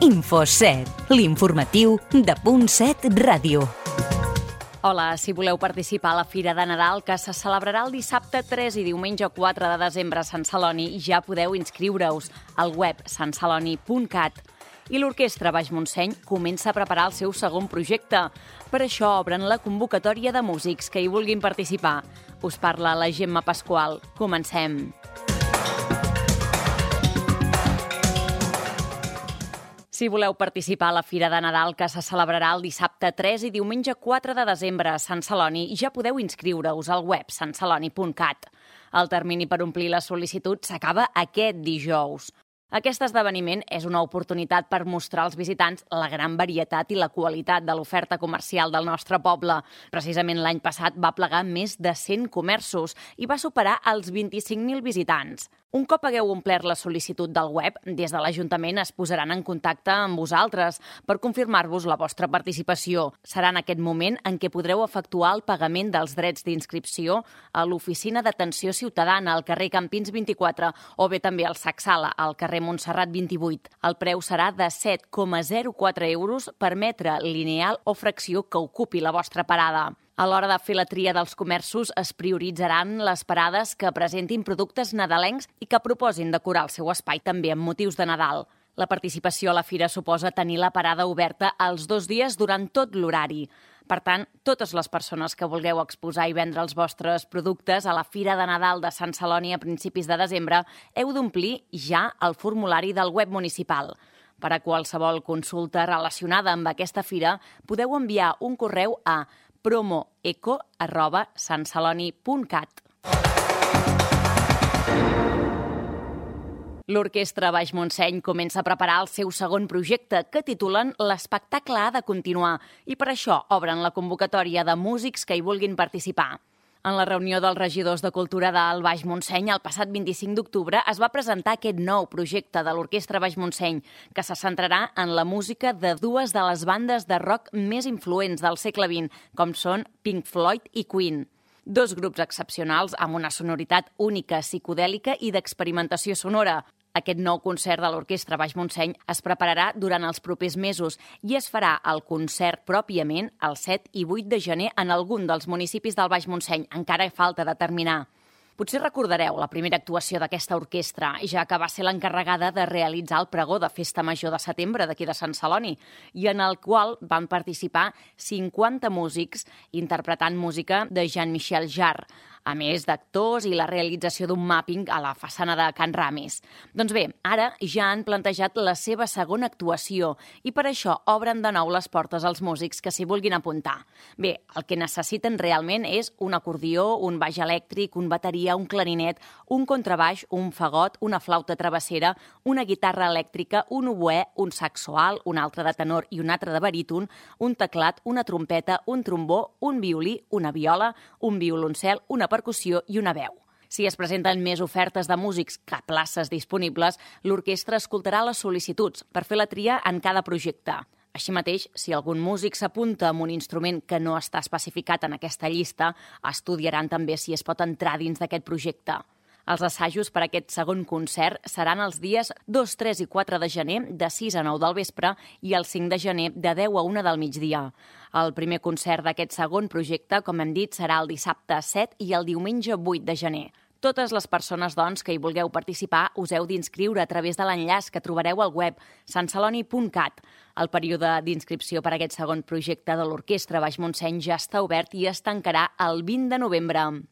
Info7, l'informatiu de Punt7 Ràdio. Hola, si voleu participar a la Fira de Nadal, que se celebrarà el dissabte 3 i diumenge 4 de desembre a Sant Celoni, ja podeu inscriure-us al web santceloni.cat. I l'Orquestra Baix Montseny comença a preparar el seu segon projecte. Per això obren la convocatòria de músics que hi vulguin participar. Us parla la Gemma Pasqual. Comencem. Si voleu participar a la Fira de Nadal, que se celebrarà el dissabte 3 i diumenge 4 de desembre a Sant Celoni, ja podeu inscriure-us al web santceloni.cat. El termini per omplir la sol·licitud s'acaba aquest dijous. Aquest esdeveniment és una oportunitat per mostrar als visitants la gran varietat i la qualitat de l'oferta comercial del nostre poble. Precisament l'any passat va plegar més de 100 comerços i va superar els 25.000 visitants. Un cop hagueu omplert la sol·licitud del web, des de l'Ajuntament es posaran en contacte amb vosaltres per confirmar-vos la vostra participació. Serà en aquest moment en què podreu efectuar el pagament dels drets d'inscripció a l'Oficina d'Atenció Ciutadana al carrer Campins 24 o bé també al Sacsala, al carrer Montserrat 28. El preu serà de 7,04 euros per metre lineal o fracció que ocupi la vostra parada. A l'hora de fer la tria dels comerços es prioritzaran les parades que presentin productes nadalencs i que proposin decorar el seu espai també amb motius de Nadal. La participació a la fira suposa tenir la parada oberta els 2 dies durant tot l'horari. Per tant, totes les persones que vulgueu exposar i vendre els vostres productes a la Fira de Nadal de Sant Celoni a principis de desembre heu d'omplir ja el formulari del web municipal. Per a qualsevol consulta relacionada amb aquesta fira, podeu enviar un correu a promoeco@santceloni.cat. L'Orquestra Baix Montseny comença a preparar el seu segon projecte, que titulen L'espectacle ha de continuar, i per això obren la convocatòria de músics que hi vulguin participar. En la reunió dels regidors de Cultura del Baix Montseny el passat 25 d'octubre es va presentar aquest nou projecte de l'Orquestra Baix Montseny, que se centrarà en la música de 2 de les bandes de rock més influents del segle XX, com són Pink Floyd i Queen. 2 grups excepcionals amb una sonoritat única, psicodèlica i d'experimentació sonora. Aquest nou concert de l'Orquestra Baix Montseny es prepararà durant els propers mesos i es farà el concert pròpiament el 7 i 8 de gener en algun dels municipis del Baix Montseny. Encara falta determinar. Potser recordareu la primera actuació d'aquesta orquestra, ja que va ser l'encarregada de realitzar el pregó de Festa Major de setembre d'aquí de Sant Celoni, i en el qual van participar 50 músics interpretant música de Jean-Michel Jarre, a més d'actors i la realització d'un mapping a la façana de Can Ramis. Doncs bé, ara ja han plantejat la seva segona actuació i per això obren de nou les portes als músics que s'hi vulguin apuntar. Bé, el que necessiten realment és un acordió, un baix elèctric, un bateria, un clarinet, un contrabaix, un fagot, una flauta travessera, una guitarra elèctrica, un oboè, un saxo alt, un altre de tenor i un altre de baríton, un teclat, una trompeta, un trombó, un violí, una viola, un violoncel, una percussió i una veu. Si es presenten més ofertes de músics que places disponibles, l'orquestra escoltarà les sol·licituds per fer la tria en cada projecte. Així mateix, si algun músic s'apunta amb un instrument que no està especificat en aquesta llista, estudiaran també si es pot entrar dins d'aquest projecte. Els assajos per a aquest segon concert seran els dies 2, 3 i 4 de gener de 6 a 9 del vespre i el 5 de gener de 10 a 1 del migdia. El primer concert d'aquest segon projecte, com hem dit, serà el dissabte 7 i el diumenge 8 de gener. Totes les persones, doncs, que hi vulgueu participar us heu d'inscriure a través de l'enllaç que trobareu al web santceloni.cat. El període d'inscripció per a aquest segon projecte de l'Orquestra Baix Montseny ja està obert i es tancarà el 20 de novembre.